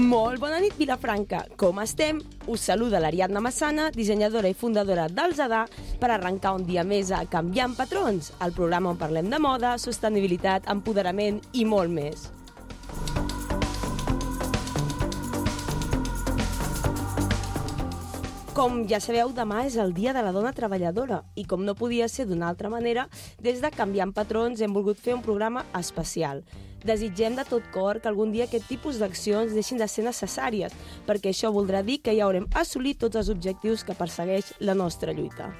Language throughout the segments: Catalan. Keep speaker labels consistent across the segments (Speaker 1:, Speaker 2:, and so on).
Speaker 1: Molt bona nit, Vilafranca. Com estem? Us saluda l'Ariadna Massana, dissenyadora i fundadora del Zadà, per arrencar un dia més a Canviant Patrons, el programa on parlem de moda, sostenibilitat, empoderament i molt més. Com ja sabeu, demà és el Dia de la Dona Treballadora i com no podia ser d'una altra manera, des de Canviant Patrons hem volgut fer un programa especial. Desitgem de tot cor que algun dia aquest tipus d'accions deixin de ser necessàries, perquè això voldrà dir que ja haurem assolit tots els objectius que persegueix la nostra lluita.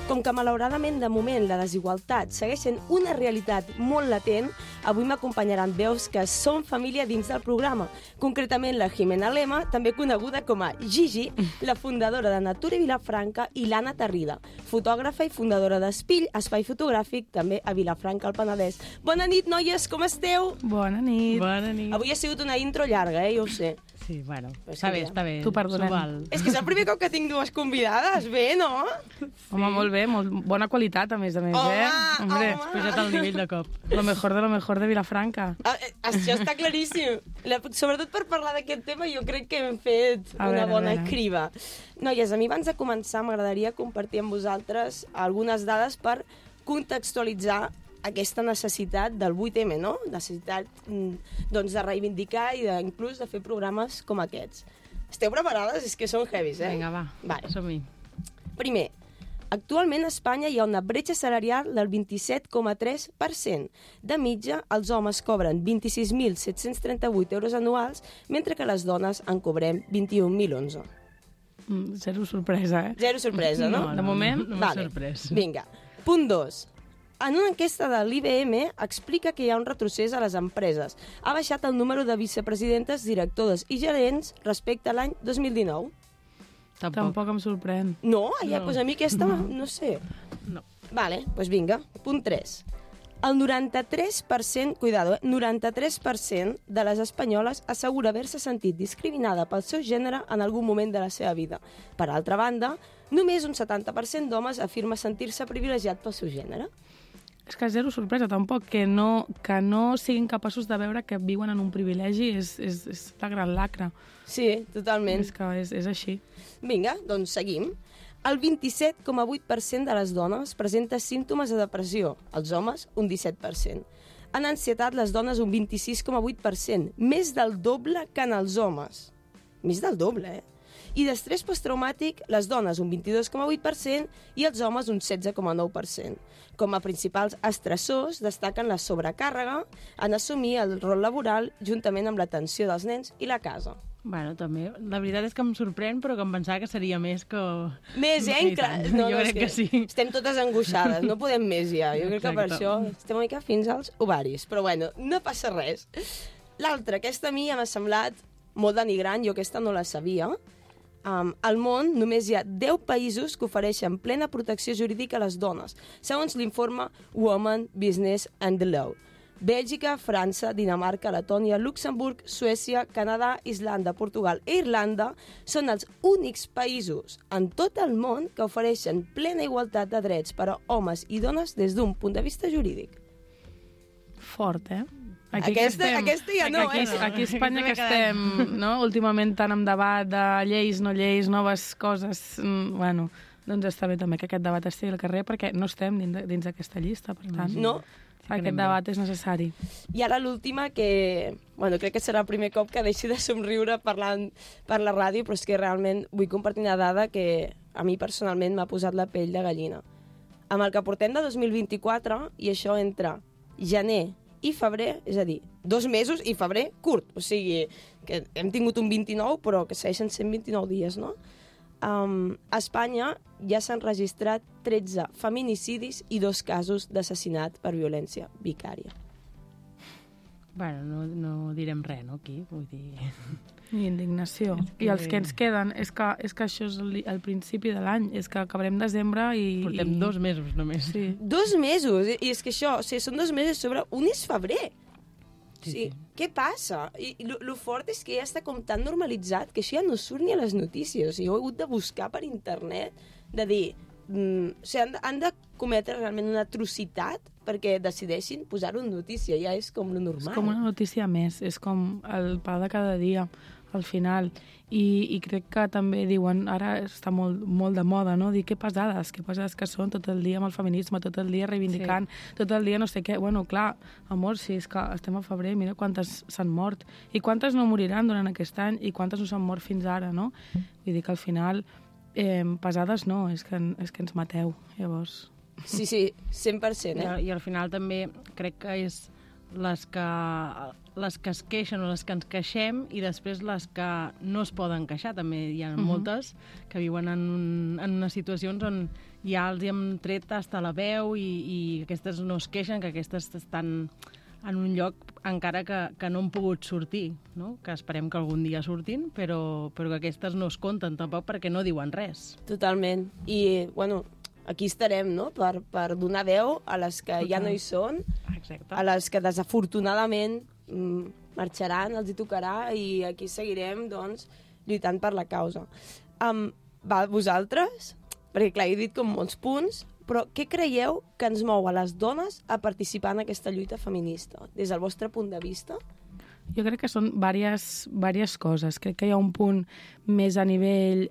Speaker 1: Com que malauradament de moment la desigualtat segueix sent una realitat molt latent, avui m'acompanyaran veus que són família dins del programa. Concretament la Jimena Lema, també coneguda com a Gigi, la fundadora de Natura Vilafranca, i l'Anna Tarrida, fotògrafa i fundadora d'Espill, espai fotogràfic també a Vilafranca, al Penedès. Bona nit, noies, com esteu?
Speaker 2: Bona nit.
Speaker 3: Bona nit.
Speaker 1: Avui ha sigut una intro llarga, ja ho sé.
Speaker 3: Sí, bueno,
Speaker 1: Però
Speaker 3: està bé.
Speaker 2: T'ho perdonem.
Speaker 1: És que és el primer cop que tinc dues convidades, bé, no?
Speaker 2: Home, molt bé, molt bona qualitat, a més,
Speaker 1: Home,
Speaker 2: Hombre,
Speaker 1: home.
Speaker 3: Has pujat el nivell de cop.
Speaker 2: lo mejor de Vilafranca.
Speaker 1: Això està claríssim. Sobretot per parlar d'aquest tema, jo crec que hem fet una bona criba. Noies, a mi abans de començar m'agradaria compartir amb vosaltres algunes dades per contextualitzar aquesta necessitat del 8M, no? Necessitat doncs, de reivindicar i inclús de fer programes com aquests. Esteu preparades? És que són heavies, eh?
Speaker 3: Vinga, va,
Speaker 1: Vale.
Speaker 3: som-hi.
Speaker 1: Primer, actualment a Espanya hi ha una bretxa salarial del 27,3%. De mitja, els homes cobren 26.738 euros anuals, mentre que les dones en cobrem 21.011.
Speaker 2: Zero sorpresa, eh?
Speaker 1: Zero sorpresa, no?
Speaker 2: De moment,
Speaker 3: no m'ha sorprès.
Speaker 1: Vinga. Punt 2. En una enquesta de l'IBM explica que hi ha un retrocés a les empreses. Ha baixat el número de vicepresidentes, directores i gerents respecte a l'any 2019.
Speaker 2: Tampoc em sorprèn.
Speaker 1: No? Ja,
Speaker 3: No.
Speaker 1: doncs a mi aquesta, no sé.
Speaker 3: No.
Speaker 1: Vale, doncs vinga. Punt 3. El 93%, cuidado, 93% de les espanyoles assegura haver-se sentit discriminada pel seu gènere en algun moment de la seva vida. Per altra banda, només un 70% d'homes afirma sentir-se privilegiat pel seu gènere.
Speaker 2: És que zero sorpresa, tampoc. Que no siguin capaços de veure que viuen en un privilegi és la gran lacra.
Speaker 1: Sí, totalment.
Speaker 2: És que és així.
Speaker 1: Vinga, doncs seguim. El 27,8% de les dones presenta símptomes de depressió, els homes un 17%. En ansietat, les dones un 26,8%, més del doble que en els homes. Més del doble, eh? I d'estrès posttraumàtic, les dones un 22,8% i els homes un 16,9%. Com a principals estressors destaquen la sobrecàrrega en assumir el rol laboral juntament amb l'atenció dels nens i la casa.
Speaker 3: Bueno, també, la veritat és que em sorprèn, però que em pensava que seria més que...
Speaker 1: Més, eh?
Speaker 3: Sí, tant. Jo crec que sí.
Speaker 1: Estem totes angoixades, no podem més ja. Jo crec que per
Speaker 3: Exacte.
Speaker 1: això estem una mica fins als ovaris. Però bueno, no passa res. L'altra, aquesta a mi ja m'ha semblat molt denigrant, jo aquesta no la sabia. Al món només hi ha 10 països que ofereixen plena protecció jurídica a les dones, segons l'informe Women, Business and the Law. Bèlgica, França, Dinamarca, Letònia, Luxemburg, Suècia, Canadà, Islanda, Portugal i Irlanda són els únics països en tot el món que ofereixen plena igualtat de drets per a homes i dones des d'un punt de vista jurídic.
Speaker 2: Fort, eh?
Speaker 1: Aquesta ja no,
Speaker 2: aquí,
Speaker 1: eh?
Speaker 2: aquí a Espanya que estem, no? Últimament tant amb debat de lleis, no lleis, noves coses, bueno, doncs està bé també que aquest debat estigui al carrer perquè no estem dins d'aquesta llista, per tant.
Speaker 1: No?
Speaker 2: Aquest debat és necessari.
Speaker 1: I ara l'última, que bueno, crec que serà el primer cop que deixi de somriure parlant per la ràdio, però és que realment vull compartir una dada que a mi personalment m'ha posat la pell de gallina. Amb el que portem de 2024, i això entre gener i febrer, és a dir, 2 mesos i febrer curt, o sigui, que hem tingut un 29, però que segueixen sent 29 dies, no? A Espanya ja s'han registrat 13 feminicidis i 2 casos d'assassinat per violència vicària.
Speaker 3: Bueno, no direm res, no, aquí? Vull dir...
Speaker 2: I indignació. I els que ens queden, és que això és el principi de l'any, és que acabarem desembre i...
Speaker 3: Portem 2 mesos només.
Speaker 2: Sí.
Speaker 1: 2 mesos, i és que això, o sigui, són 2 mesos sobre un és febrer. Sí. Què passa? I lo fort és que ja està com tan normalitzat que això ja no surt ni a les notícies. O sigui, ho he hagut de buscar per internet, de dir, o sigui, han de cometre realment una atrocitat perquè decideixin posar-ho en notícia, ja és com lo normal.
Speaker 2: És com una notícia més, és com el pa de cada dia, al final. I crec que també diuen, ara està molt de moda, no? Dir que pesades que són tot el dia amb el feminisme, tot el dia reivindicant, tot el dia no sé què. Bueno, clar, amor, si és que estem a febrer, mira quantes s'han mort, i quantes no moriran durant aquest any, i quantes no s'han mort fins ara, no? Vull dir que al final, pesades no, és que ens mateu, llavors.
Speaker 1: Sí, 100%,
Speaker 3: I al final també crec que és les que es queixen o les que ens queixem i després les que no es poden queixar. També hi ha moltes que viuen en unes situacions on ja els hem tret hasta la veu i aquestes no es queixen, que aquestes estan en un lloc encara que no han pogut sortir, no? Que esperem que algun dia surtin, però que aquestes no es compten tampoc perquè no diuen res.
Speaker 1: Totalment. I, bueno, aquí estarem, no?, per donar veu a les que ja no hi són,
Speaker 3: Exacte.
Speaker 1: a les que desafortunadament marxaran, els hi tocarà, i aquí seguirem, doncs, lluitant per la causa. Vosaltres, perquè clar, he dit com molts punts, però què creieu que ens mou a les dones a participar en aquesta lluita feminista, des del vostre punt de vista?
Speaker 2: Jo crec que són diverses coses. Crec que hi ha un punt més a nivell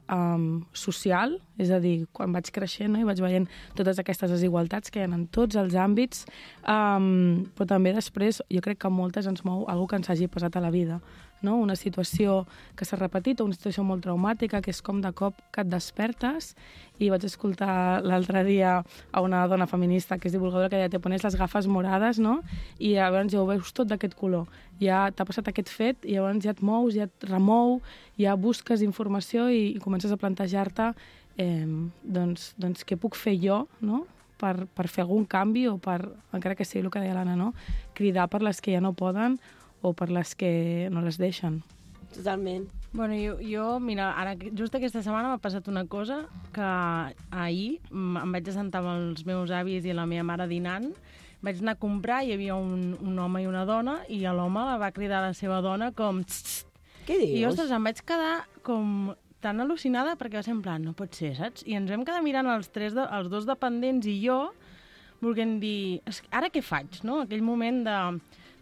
Speaker 2: social, és a dir, quan vaig creixent, no, i vaig veient totes aquestes desigualtats que hi ha en tots els àmbits, però també després jo crec que a moltes ens mou alguna que ens hagi passat a la vida, no? Una situació que s'ha repetit o una situació molt traumàtica, que és com de cop que et despertes. I vaig escoltar l'altre dia a una dona feminista que és divulgadora que deia, te pones les gafes morades, no? I llavors ja ho veus tot d'aquest color. Ja t'ha passat aquest fet i llavors ja et mous, ja et remou, ja busques informació i comences a plantejar-te doncs què puc fer jo, no?, per fer algun canvi o per, encara que sigui el que deia l'Anna, no?, cridar per les que ja no poden o per les que no les deixen.
Speaker 1: Totalment.
Speaker 3: Bueno, jo, mira, ara just aquesta setmana m'ha passat una cosa que ahir em vaig assentar amb els meus avis i la meva mare dinant, vaig anar a comprar, hi havia un home i una dona, i l'home la va cridar a la seva dona com...
Speaker 1: Què dius?
Speaker 3: I, ostres, em vaig quedar com tan al·lucinada perquè va ser en plan, no pot ser, saps? I ens vam quedar mirant els dos dependents i jo, volent dir, ara què faig, no? Aquell moment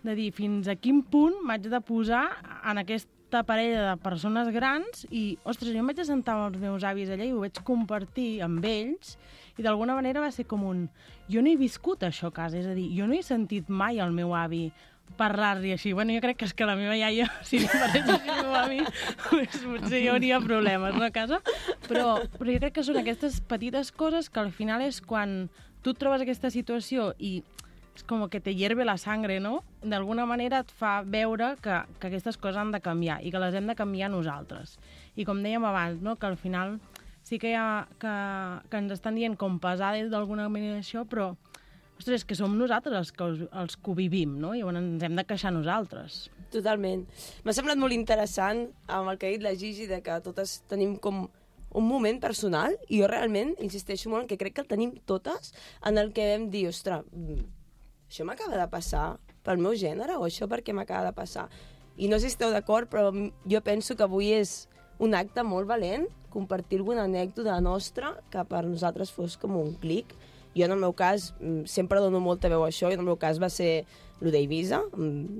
Speaker 3: de dir fins a quin punt m'haig de posar en aquesta parella de persones grans i, ostres, jo em vaig assentar amb els meus avis allà i ho vaig compartir amb ells i d'alguna manera va ser com un... Jo no he viscut això a casa, és a dir, jo no he sentit mai el meu avi parlar-li així. Bueno, jo crec que és que la meva iaia, si li parés així al meu avi, potser hi hauria problemes, no, a casa? Però jo crec que són aquestes petites coses que al final és quan tu et trobes aquesta situació i és com que te hierve la sangre, no? D'alguna manera et fa veure que aquestes coses han de canviar i que les hem de canviar nosaltres. I com dèiem abans, no?, que al final sí que hi ha que ens estan dient com pesades d'alguna manera això, però ostres, que som nosaltres els que ho vivim, no? I llavors ens hem de queixar nosaltres.
Speaker 1: Totalment. M'ha semblat molt interessant amb el que ha dit la Gigi, de que totes tenim com un moment personal, i jo realment insisteixo molt en que crec que el tenim totes, en el que vam dir, ostres, això m'acaba de passar pel meu gènere o això perquè m'acaba de passar? I no sé si esteu d'acord, però jo penso que avui és un acte molt valent compartir alguna anècdota nostra que per nosaltres fos com un clic. Jo, en el meu cas, sempre dono molta veu a això, i en el meu cas va ser el d'Eivissa,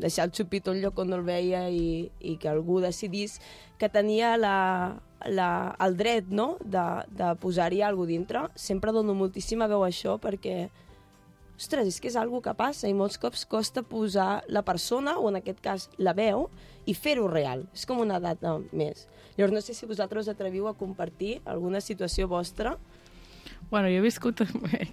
Speaker 1: deixar el xupito en lloc on no el veia i que algú decidís que tenia el dret, no?, de posar-hi alguna cosa dintre. Sempre dono moltíssima veu a això perquè, ostres, és que és alguna que passa i molts cops costa posar la persona, o en aquest cas la veu, i fer-ho real. És com una data més. Llavors, no sé si vosaltres atreviu a compartir alguna situació vostra.
Speaker 2: Bueno, jo he viscut,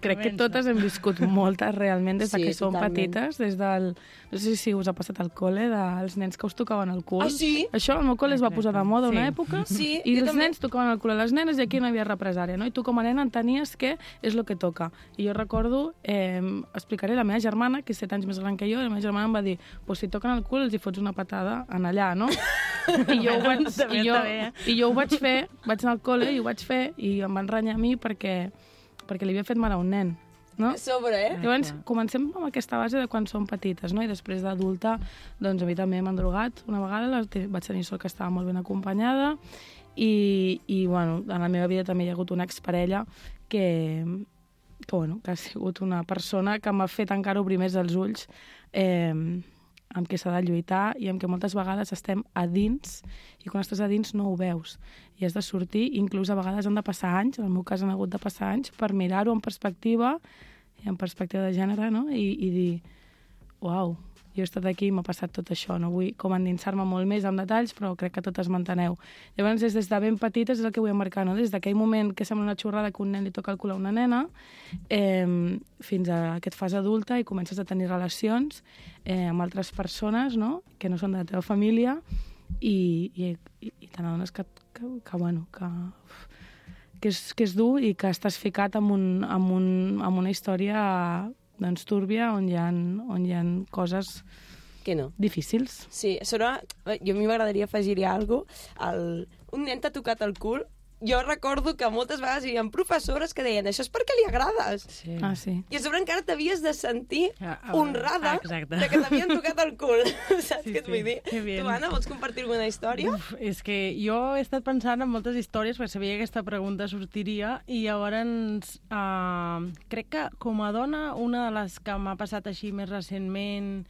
Speaker 2: crec que totes hem viscut moltes realment des que som petites, des del, no sé si us ha passat al col·le, dels nens que us tocaven el cul.
Speaker 1: Ah, sí?
Speaker 2: Això al meu col·le es va posar de moda una època,
Speaker 1: sí,
Speaker 2: i els nens tocaven el cul a les nenes i aquí no hi havia represària, no? I tu com a nena entenies que és el que toca. I jo recordo, explicaré, la meva germana, que és 7 anys més gran que jo, la meva germana em va dir, pues si toquen el cul els hi fots una patada en allà, no? I jo ho vaig fer, vaig anar al col·le i ho vaig fer, i em van renyar a mi perquè li havia fet mal a un nen, no?
Speaker 1: A sobre,
Speaker 2: Llavors, comencem amb aquesta base de quan som petites, no? I després d'adulta, doncs a mi també m'han drogat una vegada, vaig tenir sort que estava molt ben acompanyada, i bueno, en la meva vida també hi ha hagut una exparella que ha sigut una persona que m'ha fet encara obrir més els ulls amb què s'ha de lluitar i amb què moltes vegades estem a dins i quan estàs a dins no ho veus i has de sortir, inclús a vegades han de passar anys, en el meu cas han hagut de passar anys per mirar-ho en perspectiva de gènere, no? I dir, uau, jo he estat aquí i m'ha passat tot això, no vull com endinsar-me molt més en detalls, però crec que totes m'enteneu. Llavors, des de ben petites és el que vull emmarcar, no? Des d'aquell moment que sembla una xorrada que un nen li toca el cul a una nena, fins a que et fas adulta i comences a tenir relacions amb altres persones, no? Que no són de la teva família i te n'adones que és dur i que estàs ficat en una història doncs túrbia on hi ha coses
Speaker 1: que no.
Speaker 2: Difícils.
Speaker 1: Sí, jo a mi m'agradaria afegir-hi alguna cosa. Un nen t'ha tocat el cul. Jo recordo que moltes vegades hi havia professores que deien això és perquè li agrades.
Speaker 2: Sí. Sí.
Speaker 1: I a sobre encara t'havies de sentir honrada de que t'havien tocat el cul. Saps què et vull dir? Tu, Anna, vols compartir alguna història?
Speaker 3: És que jo he estat pensant en moltes històries perquè sabia que aquesta pregunta sortiria i llavors crec que com a dona una de les que m'ha passat així més recentment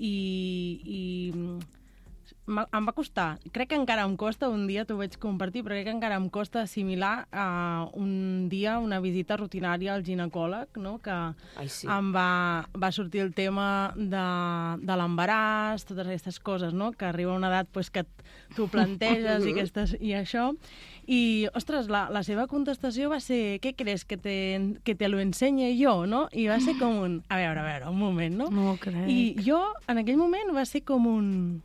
Speaker 3: i em va costar, crec que encara em costa, un dia t'ho vaig compartir, però crec que encara em costa assimilar un dia una visita rutinària al ginecòleg, no? Que em va sortir el tema de l'embaràs, totes aquestes coses, no? Que arriba una edat pues, que tu planteges i això. I, ostres, la seva contestació va ser ¿qué crees? Que te lo enseñe yo, no? I va ser com un... A veure, un moment, no?
Speaker 2: No ho crec.
Speaker 3: I jo, en aquell moment, va ser com un...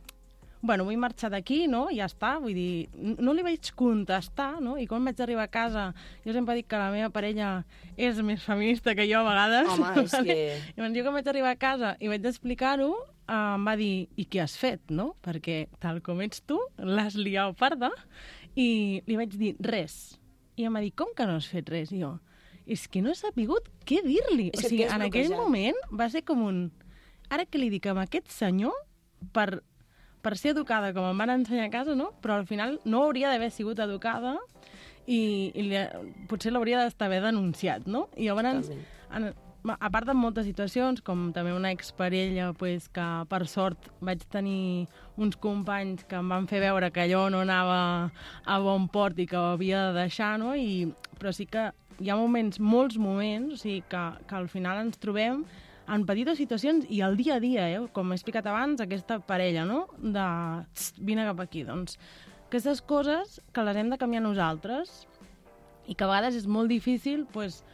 Speaker 3: Bueno, vull marxar d'aquí, no? I ja està, vull dir, no li vaig contestar, no? I quan vaig arribar a casa, jo sempre dic que la meva parella és més feminista que jo a vegades.
Speaker 1: Home, és que...
Speaker 3: I quan jo vaig arribar a casa i vaig explicar-ho, em va dir, i què has fet, no? Perquè tal com ets tu, l'has liat parda, i li vaig dir, res. I em va dir, com que no has fet res? I jo, és que no he sapigut què dir-li. O sigui, en aquell moment va ser com un... Ara que li dic a aquest senyor, per ser educada com em van ensenyar a casa, no? Però al final no hauria d'haver sigut educada i potser l'hauria d'haver denunciat, no? I llavors, a part de moltes situacions, com també una exparella pues, que per sort vaig tenir uns companys que em van fer veure que allò no anava a bon port i que ho havia de deixar, no? Però sí que hi ha molts moments, o sigui, que al final ens trobem en petites situacions i al dia a dia, com he explicat abans, aquesta parella, no? De vine cap aquí. Doncs aquestes coses que les hem de canviar nosaltres i que a vegades és molt difícil pues,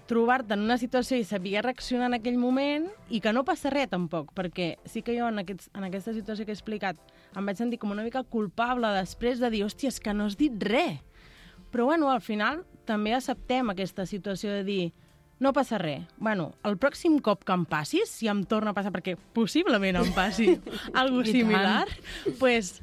Speaker 3: trobar-te en una situació i saber reaccionar en aquell moment i que no passa res tampoc, perquè sí que jo en aquesta situació que he explicat em vaig sentir com una mica culpable després de dir, hòstia, és que no has dit res. Però bueno, al final també acceptem aquesta situació de dir no passa res. Bueno, el pròxim cop que em passis, si em torna a passar, perquè possiblement em passi alguna similar, pues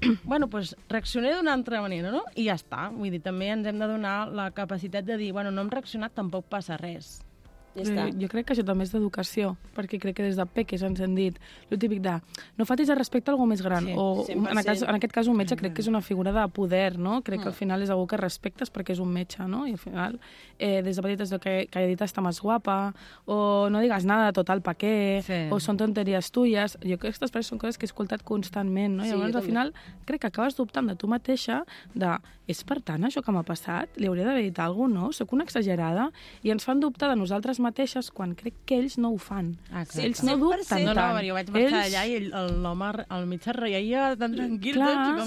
Speaker 3: reaccionaré d'una altra manera, no? I ja està. Vull dir, també ens hem de donar la capacitat de dir, bueno, no hem reaccionat, tampoc passa res.
Speaker 1: Ja està.
Speaker 2: Jo crec que això també és d'educació, perquè crec que des de peques ens han dit el típic de no faltis de respecte a algú més gran, o en aquest cas un metge crec que és una figura de poder, no? Crec que al final és algú que respectes perquè és un metge, no? I al final, des de petites que haya dit està més guapa, o no digues nada, total, pa què, o són tonteries tuyes. Jo crec que aquestes frases són coses que he escoltat constantment, no? I llavors al final crec que acabes dubtant de tu mateixa de és per tant això que m'ha passat? Li hauria d'haver dit alguna cosa, no? Soc una exagerada? I ens fan dubtar de nosaltres mateixes quan crec que ells no ho fan.
Speaker 3: Exacte.
Speaker 2: Ells no dubten tant.
Speaker 3: No, jo vaig marxar allà i l'home al mig es reia tan tranquil.
Speaker 2: Clar,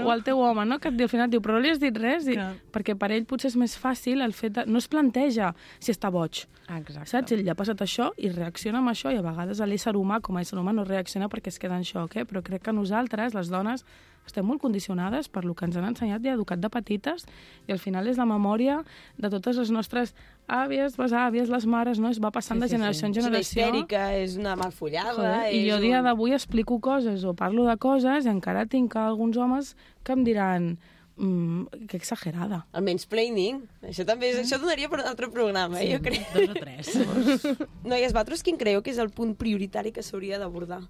Speaker 2: o el teu home, no? Que al final diu, però no li has dit res? Perquè per ell potser és més fàcil el fet de... No es planteja si està boig.
Speaker 3: Exacte.
Speaker 2: Saps? Ell ja ha passat això i reacciona amb això i a vegades l'ésser humà, com a ésser humà, no reacciona perquè es queda en xoc, però crec que nosaltres, les dones, estem molt condicionades per lo que ens han ensenyat i educat de petites i al final és la memòria de totes les nostres àvies, besàvies, les mares, no? Es va passant de generació en generació.
Speaker 1: És una histèrica, és una malfollada...
Speaker 2: I jo a dia d'avui explico coses o parlo de coses i encara tinc alguns homes que em diran que exagerada.
Speaker 1: El mansplaining, això també això donaria per un altre programa, jo crec.
Speaker 3: 2 o 3.
Speaker 1: Noies, vosaltres quin creieu que és el punt prioritari que s'hauria d'abordar?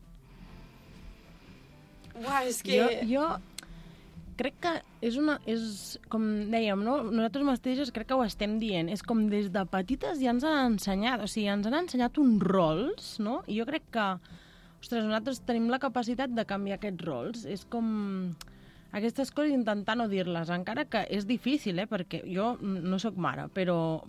Speaker 1: Uau, és que...
Speaker 3: Jo crec que és com dèiem, no? Nosaltres mateixes crec que ho estem dient, és com des de petites ja ens han ensenyat, o sigui, ens han ensenyat uns rols, no? I jo crec que, ostres, nosaltres tenim la capacitat de canviar aquests rols, és com aquestes coses intentar no dir-les, encara que és difícil, perquè jo no sóc mare, però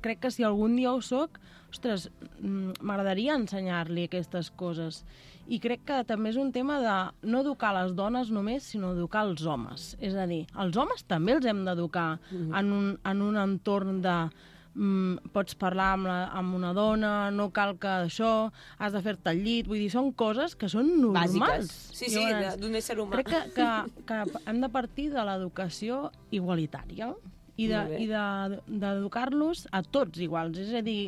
Speaker 3: crec que si algun dia ho soc, ostres, m'agradaria ensenyar-li aquestes coses. I crec que també és un tema de no educar les dones només, sinó educar els homes. És a dir, els homes també els hem d'educar en un entorn de pots parlar amb una dona, no cal que això, has de fer-te al llit, vull dir, són coses que són normals.
Speaker 1: Bàsiques. Sí, d'un ésser humà.
Speaker 3: Crec que hem de partir de l'educació igualitària i d'educar-los a tots iguals, és a dir,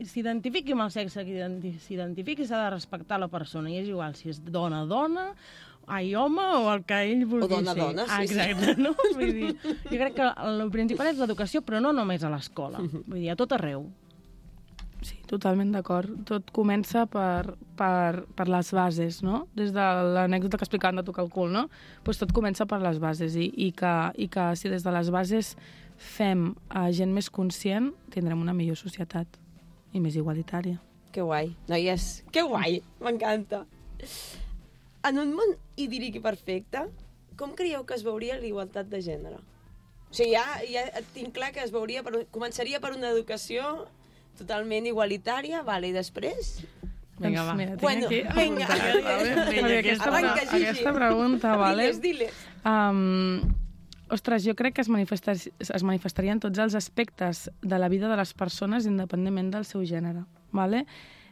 Speaker 3: s'identifiqui amb el sexe que s'identifiqui, s'ha de respectar la persona, i és igual si és dona, home, o el que ell vulgui ser.
Speaker 1: O dona, sí.
Speaker 3: Exacte, no? Vull dir, jo crec que el principal és l'educació, però no només a l'escola, vull dir, a tot arreu.
Speaker 2: Sí, totalment d'acord. Tot comença per les bases, no? Des de l'anècdota que explicaven de tocar el cul, no? Pues tot comença per les bases i que si des de les bases fem gent més conscient, tindrem una millor societat i més igualitària.
Speaker 1: Que guai. Noies, que guai. M'encanta. En un món idíl·lic i perfecte, com creieu que es veuria la igualtat de gènere? O sigui, ja tinc clar que començaria per una educació totalment igualitària, vale, i després?
Speaker 3: Vinga, va.
Speaker 2: Mira,
Speaker 1: Bueno, vinga.
Speaker 2: Aquesta pregunta, vale?
Speaker 1: Diles.
Speaker 2: Ostres, jo crec que es manifestarien tots els aspectes de la vida de les persones independentment del seu gènere, vale?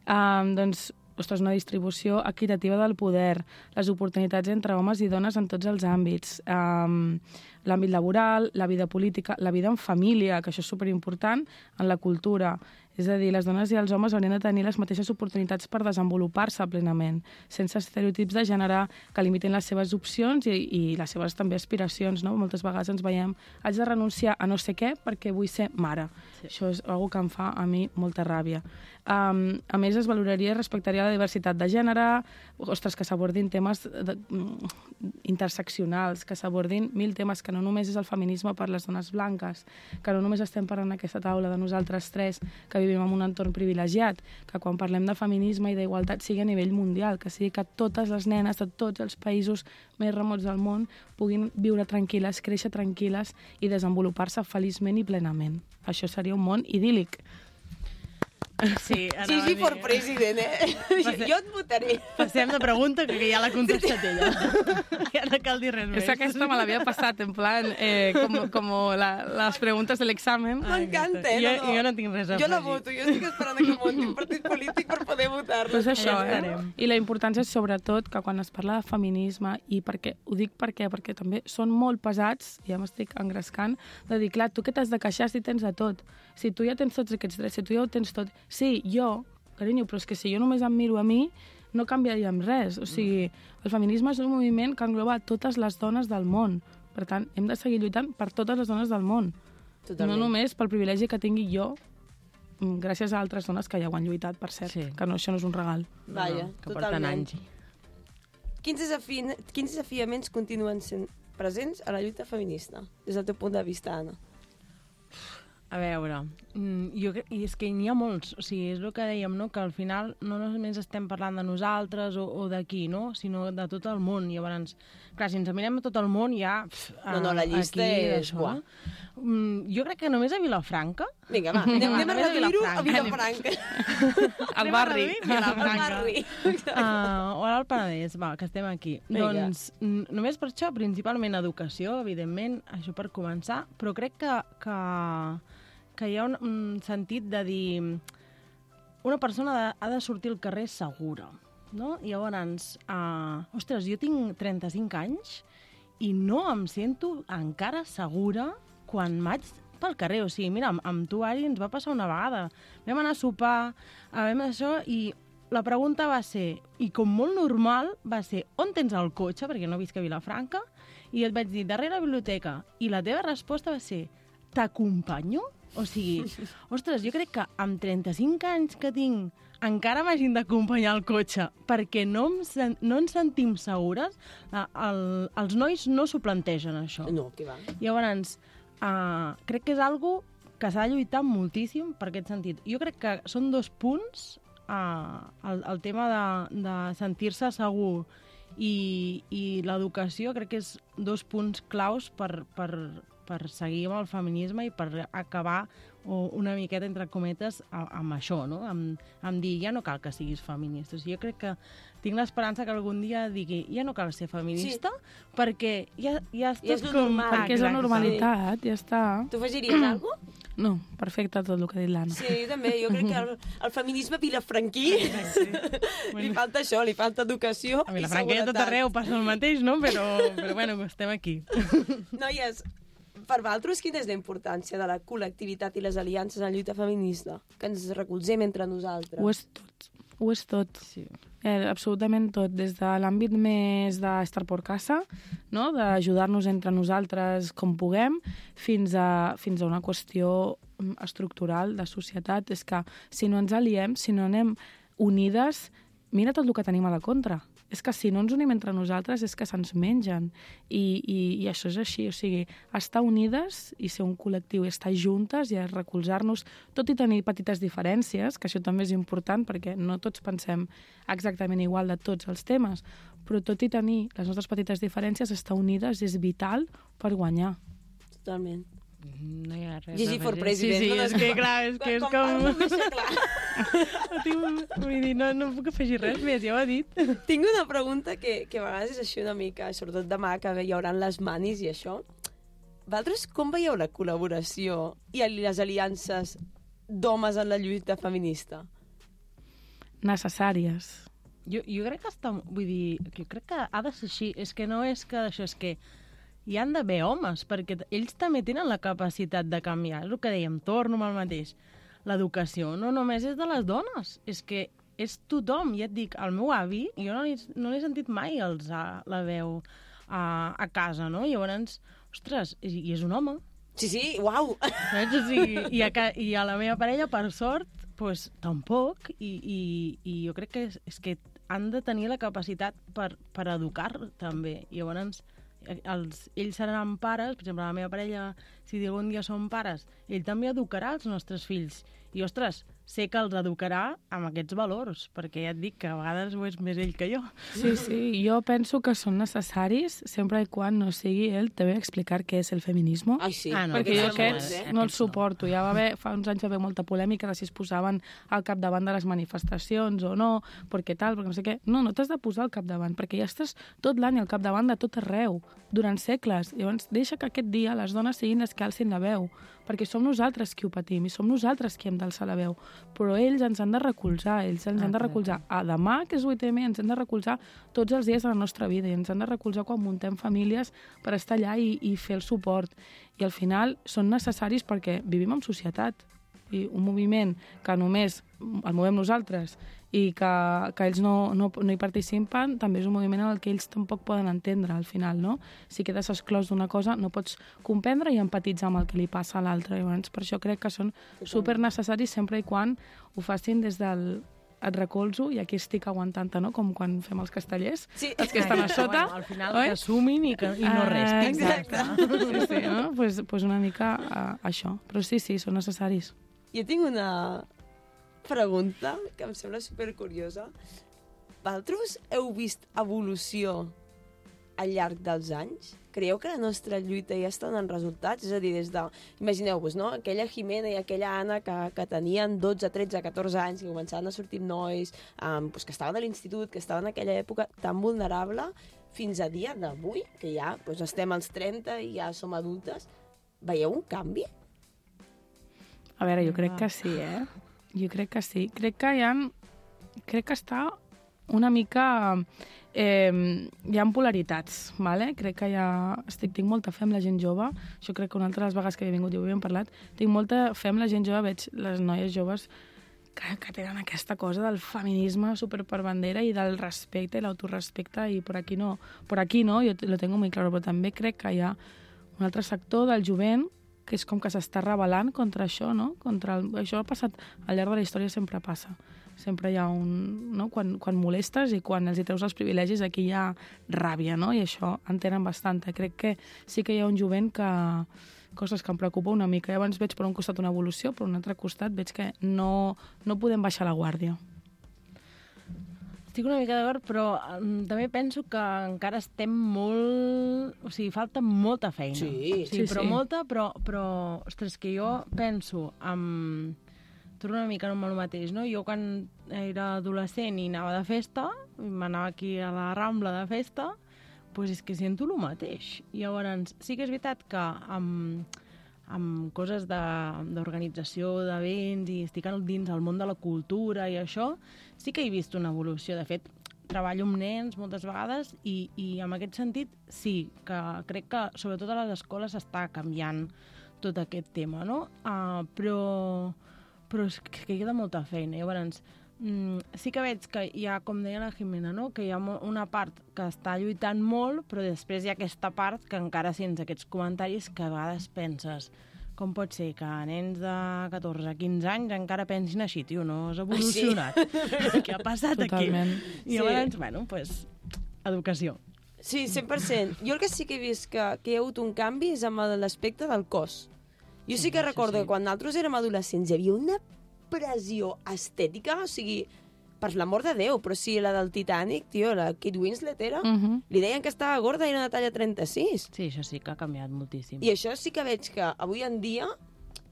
Speaker 2: Doncs, ostres, una distribució equitativa del poder, les oportunitats entre homes i dones en tots els àmbits, l'àmbit laboral, la vida política, la vida en família, que això és superimportant, en la cultura. És a dir, les dones i els homes haurien de tenir les mateixes oportunitats per desenvolupar-se plenament, sense estereotips de gènere que limitin les seves opcions i les seves també aspiracions, no? Moltes vegades ens veiem, haig de renunciar a no sé què perquè vull ser mare. Sí. Això és una que em fa a mi molta ràbia. A més, es valoraria i respectaria la diversitat de gènere, ostres, que s'abordin temes interseccionals, que s'abordin 1000 temes, que no només és el feminisme per les dones blanques, que no només estem parlant en aquesta taula de nosaltres tres, que vivim en un entorn privilegiat, que quan parlem de feminisme i d'igualtat sigui a nivell mundial, que sigui que totes les nenes de tots els països més remots del món puguin viure tranquil·les, créixer tranquil·les i desenvolupar-se feliçment i plenament. Això seria un món idíl·lic.
Speaker 3: Sí,
Speaker 1: Gigi for president, Jo et votaré.
Speaker 3: Passem de pregunta, que ja l'ha contestat ella. Ja no cal dir res més.
Speaker 2: És que aquesta me l'havia passat, en plan, com les preguntes de l'examen.
Speaker 1: M'encanta,
Speaker 3: Jo no tinc res a afegir.
Speaker 1: Jo la voto, jo estic esperant que munti un partit polític per poder votar-la.
Speaker 2: Pues això, I la importància és sobretot que quan es parla de feminisme, i ho dic perquè també són molt pesats, ja m'estic engrescant, de dir, clar, tu què t'has de queixar si tens de tot? Si tu ja tens tots aquests drets, si tu ja ho tens tot... Sí, jo, carinyo, però és que si jo només em miro a mi, no canviaríem res. O sigui, el feminisme és un moviment que engloba totes les dones del món. Per tant, hem de seguir lluitant per totes les dones del món. Totalment. No només pel privilegi que tingui jo, gràcies a altres dones que ja ho han lluitat, per cert, que això no és un regal.
Speaker 1: Vaja,
Speaker 3: que porten anys.
Speaker 1: Quins desafiaments continuen sent presents a la lluita feminista, des del teu punt de vista, Anna?
Speaker 3: A veure, i és que n'hi ha molts, o sigui, és el que dèiem, no? Que al final no només estem parlant de nosaltres o d'aquí, no? Sinó de tot el món. Llavors, clar, si ens mirem a tot el món ja...
Speaker 1: No, la llista és...
Speaker 3: No? Jo crec que només a Vilafranca...
Speaker 1: Vinga, va, anem a reduir-ho a Vilafranca.
Speaker 2: Al barri.
Speaker 3: O al Penedès, va, que estem aquí. Doncs només per això, principalment educació, evidentment, això per començar, però crec que hi ha un sentit de dir una persona ha de sortir al carrer segura, no? Llavors, ostres, jo tinc 35 anys i no em sento encara segura quan vaig pel carrer. O sigui, mira, amb tu, Ari, ens va passar una vegada. Vam anar a sopar, vam això, i la pregunta va ser, i com molt normal, va ser, on tens el cotxe? Perquè no visc a Vilafranca. I et vaig dir, darrere la biblioteca. I la teva resposta va ser, t'acompanyo? O sigui, ostres, jo crec que amb 35 anys que tinc encara m'hagin d'acompanyar al cotxe perquè no ens sentim segures, els nois no s'ho plantegen, això.
Speaker 1: No, què va.
Speaker 3: Llavors, crec que és algo que s'ha de lluitar moltíssim per aquest sentit. Jo crec que són 2 punts, el tema de sentir-se segur i l'educació, crec que és 2 punts claus per seguir amb el feminisme i per acabar una miqueta, entre cometes, amb això, no? Amb dir, ja no cal que siguis feminista. Jo crec que tinc l'esperança que algun dia digui, ja no cal ser feminista, perquè ja estàs com...
Speaker 2: Perquè és la normalitat, ja està.
Speaker 1: Tu afegiries alguna cosa?
Speaker 2: No, perfecte tot el que ha dit l'Anna.
Speaker 1: Sí, jo també. Jo crec que el feminisme vilafranquí li falta això, li falta educació
Speaker 3: a
Speaker 1: i
Speaker 3: Vilafranca a tot arreu passa el mateix, no? Però bueno, estem aquí.
Speaker 1: Noies, per vosaltres, quina és la importància de la col·lectivitat i les aliances en la lluita feminista? Que ens recolzem entre nosaltres.
Speaker 2: Ho és tot.
Speaker 3: Sí.
Speaker 2: Absolutament tot, des de l'àmbit més d'estar per casa, no? D'ajudar-nos entre nosaltres com puguem, fins a una qüestió estructural de societat. És que si no ens aliem, si no anem unides, mira tot el que tenim a la contra. És que si no ens unim entre nosaltres és que se'ns mengen. I això és així, o sigui, estar unides i ser un col·lectiu, estar juntes i recolzar-nos, tot i tenir petites diferències, que això també és important perquè no tots pensem exactament igual de tots els temes, però tot i tenir les nostres petites diferències, estar unides és vital per guanyar.
Speaker 1: Totalment.
Speaker 3: No hi ha res.
Speaker 1: Gigi for president.
Speaker 3: Sí, és que clar, és que és com... Vull dir, no puc afegir res més, ja ho he dit.
Speaker 1: Tinc una pregunta que a vegades és així una mica, sobretot demà, que hi haurà les manis i això. Vosaltres com veieu la col·laboració i les aliances d'homes en la lluita feminista?
Speaker 2: Necessàries.
Speaker 3: Jo crec que vull dir, jo crec que ha de ser així. És que no és que això, és que hi han d'haver homes, perquè ells també tenen la capacitat de canviar. És el que dèiem, torno amb el mateix. L'educació no només és de les dones, és que és tothom. Ja et dic, el meu avi, jo no l'he sentit mai alçar la veu a casa, no? Llavors, ostres, i és un home.
Speaker 1: Sí, uau!
Speaker 3: Saps? O sigui, i a la meva parella, per sort, doncs tampoc, i jo crec que és que han de tenir la capacitat per educar també. Llavors, ells seran pares, per exemple, la meva parella, si algun dia són pares, ell també educarà els nostres fills. I, ostres, sé que els educarà amb aquests valors, perquè ja et dic que a vegades ho és més ell que jo.
Speaker 2: Sí, jo penso que són necessaris sempre i quan no sigui ell te ve a explicar què és el feminisme.
Speaker 1: Ai, sí.
Speaker 2: No, perquè jo aquests no els suporto. Ja fa uns anys va haver molta polèmica de si es posaven al capdavant de les manifestacions o no, perquè tal, perquè no sé què. No t'has de posar al capdavant, perquè ja estàs tot l'any al capdavant de tot arreu, durant segles. Llavors, deixa que aquest dia les dones siguin les que alcin la veu, perquè som nosaltres qui ho patim i som nosaltres qui hem d'alçar la veu. Però ells ens han de recolzar, han de recolzar a demà, que és 8M, ens han de recolzar tots els dies de la nostra vida i ens han de recolzar quan muntem famílies per estar allà i fer el suport. I al final són necessaris perquè vivim en societat i un moviment que només el movem nosaltres i que ells no hi participen, també és un moviment en el que ells tampoc poden entendre al final, no? Si quedes exclòs d'una cosa, no pots comprendre i empatitzar amb el que li passa a l'altre. Llavors, per això crec que són supernecessaris sempre i quan ho facin des del et recolzo i aquí estic aguantant-te, no? Com quan fem els castellers, els que estan a sota.
Speaker 3: Bueno, al final que assumin i no restin.
Speaker 2: Exacte. Sí, no? Pues una mica això. Però sí, són necessaris.
Speaker 1: Jo tinc una pregunta que em sembla supercuriosa. Vosaltres heu vist evolució al llarg dels anys? Creieu que la nostra lluita ja està donant resultats? És a dir, imagineu-vos, no? Aquella Jimena i aquella Anna que tenien 12, 13, 14 anys, que començaven a sortir nois, que estaven a l'institut, que estaven en aquella època tan vulnerable, fins a dia d'avui, que ja estem als 30 i ja som adultes. Veieu un canvi?
Speaker 2: A veure, jo crec que sí, Jo crec que sí. Crec que està una mica... hi ha polaritats, ¿vale? Crec que tinc molta fe amb la gent jove. Això crec que una altra de les vegades que he vingut i ho havíem parlat. Tinc molta fe amb la gent jove, veig les noies joves que tenen aquesta cosa del feminisme super per bandera i del respecte i l'autorespecte i per aquí no, jo lo tengo muy claro, però també crec que hi ha un altre sector del jovent que és com que s'està rebel·lant contra això, no? Això ha passat, al llarg de la història sempre passa. Sempre hi ha un... No? Quan molestes i quan els hi treus els privilegis, aquí hi ha ràbia, no? I això en tenen bastanta. Crec que sí que hi ha un jovent que... Coses que em preocupa una mica. Llavors veig per un costat una evolució, per un altre costat veig que no podem baixar la guàrdia.
Speaker 3: Estic una mica d'acord, però també penso que encara estem molt... O sigui, falta molta feina.
Speaker 1: Sí,
Speaker 3: però molta, però... Ostres, que jo penso torno una mica amb el mateix, no? Jo quan era adolescent i anava de festa, m'anava aquí a la Rambla de festa, doncs és que sento el mateix. I llavors, sí que és veritat que amb coses d'organització, d'events, i estic dins el món de la cultura i això, sí que he vist una evolució. De fet, treballo amb nens moltes vegades i en aquest sentit sí, que crec que sobretot a les escoles està canviant tot aquest tema, no? Però és que queda molta feina. Llavors, sí que veig que hi ha, com deia la Jimena, no? Que hi ha una part que està lluitant molt, però després hi ha aquesta part que encara sents aquests comentaris que a vegades penses com pot ser que nens de 14 a 15 anys encara pensin així, tio, no has evolucionat. Sí. Què ha passat
Speaker 2: Totalment.
Speaker 3: Aquí? I llavors, bueno, pues, educació.
Speaker 1: Sí, 100%. Jo el que sí que he vist que hi ha hagut un canvi és amb l'aspecte del cos. Jo sí que recordo que quan nosaltres érem adolescents hi havia una pressió estètica, o sigui, per l'amor de Déu, però sí, la del Titanic, tio, la Kate Winslet era, li deien que estava gorda i era una talla 36.
Speaker 3: Sí, això sí que ha canviat moltíssim.
Speaker 1: I això sí que veig que avui en dia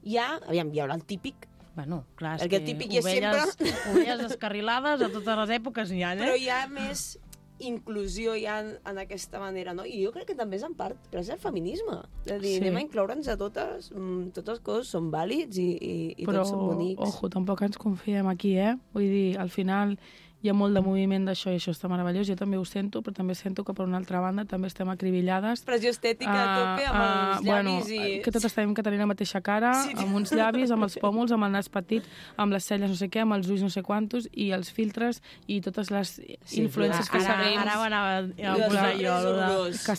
Speaker 1: hi ha el típic.
Speaker 3: Bueno, clar, és
Speaker 1: que típic hi ha sempre...
Speaker 3: Ovelles descarrilades a totes les èpoques n'hi ha,
Speaker 1: Però hi ha més inclusió ja en aquesta manera, no? I jo crec que també és en part gràcies al feminisme. És a dir, anem a incloure'ns a totes, tots els cossos són vàlids i tots són bonics.
Speaker 2: Però, ojo, tampoc ens confiem aquí, Vull dir, al final hi ha molt de moviment d'això i això està meravellós. Jo també ho sento, però també sento que per una altra banda també estem acribillades.
Speaker 1: Pressió estètica a tope amb els llavis i...
Speaker 2: Que totes tenim que tenir la mateixa cara, amb uns llavis, amb els pòmuls, amb el nas petit, amb les celles no sé què, amb els ulls no sé quantos, i els filtres i totes les influències que seguim.
Speaker 3: Ara anava a posar jo,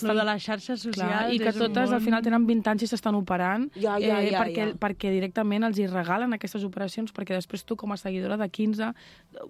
Speaker 3: lo de les xarxes socials.
Speaker 2: I que totes al final tenen 20 anys i s'estan operant, perquè directament els hi regalen aquestes operacions, perquè després tu com a seguidora de 15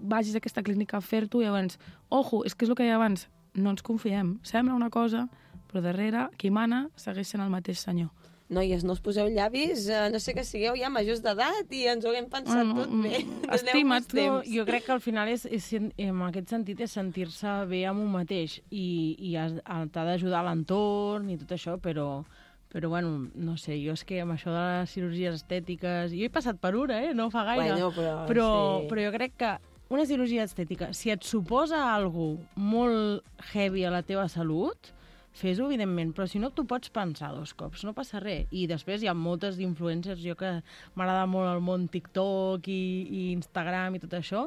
Speaker 2: vagis a aquesta clínica a fer-t'ho i llavors, ojo, és que és el que hi ha abans, no ens confiem, sembla una cosa, però darrere, qui mana, segueix sent el mateix senyor.
Speaker 1: Noies, no us poseu llavis, no sé que sigueu ja majors d'edat i ens ho haguem pensat tot bé.
Speaker 2: Estima't.
Speaker 3: Jo crec que al final en aquest sentit és sentir-se bé amb un mateix i t'ha d'ajudar l'entorn i tot això, però bueno, no sé, jo és que amb això de les cirurgies estètiques... Jo he passat per una, no fa gaire.
Speaker 1: Bueno,
Speaker 3: però jo crec que una cirurgia estètica, si et suposa alguna cosa molt heavy a la teva salut, fes-ho, evidentment, però si no, tu pots pensar 2 cops, no passa res. I després hi ha moltes influencers, jo que m'agrada molt el món TikTok i Instagram i tot això,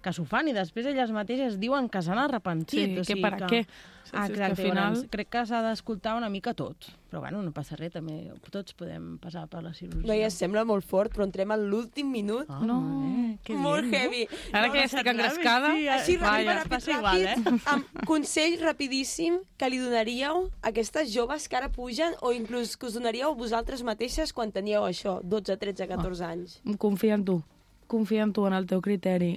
Speaker 3: que s'ho fan i després elles mateixes diuen que s'han arrepentit.
Speaker 2: Sí, que per a què?
Speaker 3: Exacte, al final... crec que s'ha d'escoltar una mica tot. Però bueno, no passa res, també tots podem passar per la cirurgia.
Speaker 1: Noia, sembla molt fort, però entrem a l'últim minut. Molt heavy.
Speaker 2: Ara que ja estic engrescada...
Speaker 1: Així, ràpid, amb consell rapidíssim que li donaríeu a aquestes joves que ara pugen o inclús que us donaríeu vosaltres mateixes quan teníeu això, 12, 13, 14 anys.
Speaker 2: Confia en tu. Confia en tu, en el teu criteri.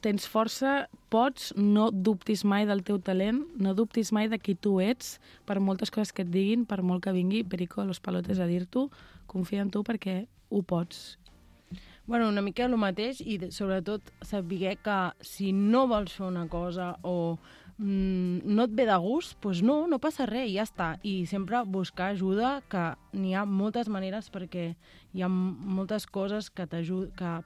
Speaker 2: Tens força, pots, no dubtis mai del teu talent, no dubtis mai de qui tu ets, per moltes coses que et diguin, per molt que vingui Perico a los palotes a dir-t'ho, confia en tu perquè ho pots.
Speaker 3: Bueno, una mica el mateix i sobretot saber que si no vols fer una cosa o no et ve de gust, doncs no passa res, ja està. I sempre buscar ajuda, que n'hi ha moltes maneres perquè hi ha moltes coses que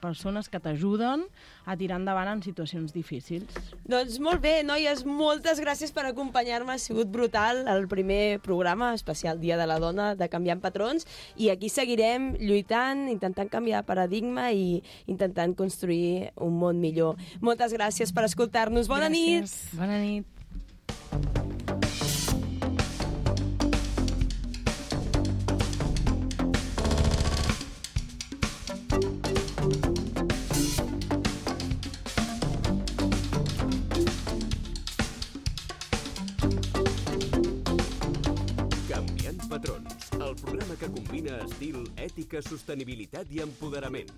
Speaker 3: persones que t'ajuden a tirar endavant en situacions difícils.
Speaker 1: Doncs molt bé, noies, moltes gràcies per acompanyar-me. Ha sigut brutal el primer programa especial Dia de la Dona de Canviant Patrons i aquí seguirem lluitant, intentant canviar paradigma i intentant construir un món millor. Moltes gràcies per escoltar-nos. Bona nit!
Speaker 3: Bona nit!
Speaker 4: Canviant Patrons, el programa que combina estil, ètica, sostenibilitat i empoderament.